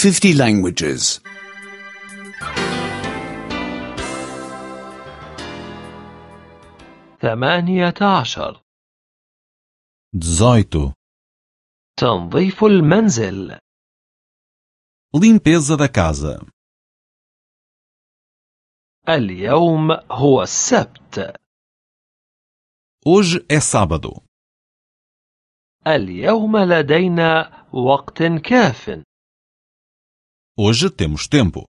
50 languages. 18. 18. تنظيف المنزل. Limpeza da casa. اليوم هو السبت. Hoje é sábado. اليوم لدينا وقت كاف. Hoje temos tempo.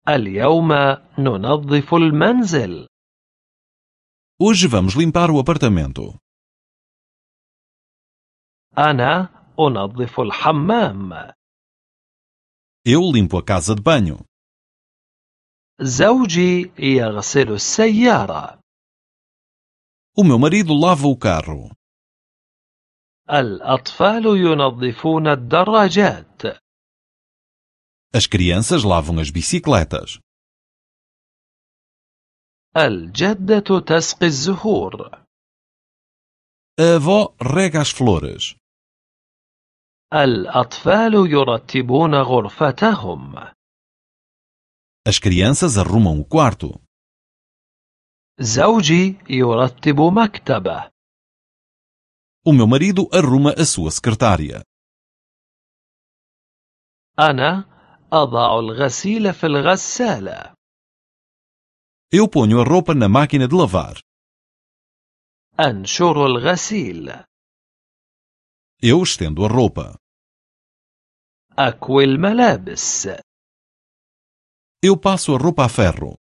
اليوم ننظف المنزل. Hoje vamos limpar o apartamento. أنا أنظف الحمام. Eu limpo a casa de banho. زوجي يغسل السيارة. O meu marido lava o carro. الأطفال ينظفون الدراجات. As crianças lavam as bicicletas. الجدة تسقي الزهور. A avó rega as flores. الأطفال يرتبون غرفتهم. As crianças arrumam o quarto. زوجي يرتب مكتبه. O meu marido arruma a sua secretária. أنا أضع الغسيل في الغسالة. Eu ponho a roupa na máquina de lavar. أنشر الغسيل. Eu estendo a roupa. أكوي الملابس. Eu passo a roupa a ferro.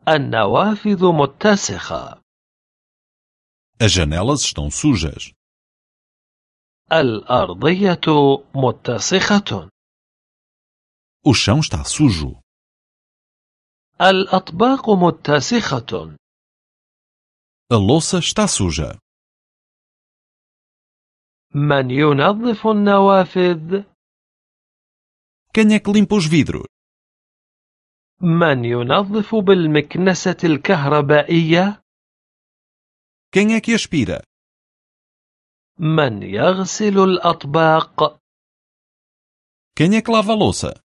النوافذ متسخة. As janelas estão sujas. الأرضية متسخة. O chão está sujo. الأطباق متسخة. A louça está suja. من ينظف النوافذ؟ Quem é que limpa os vidros? من ينظف بالمكنسة الكهربائية؟ Quem é que aspira? من يغسل الأطباق؟ Quem é que lava a louça?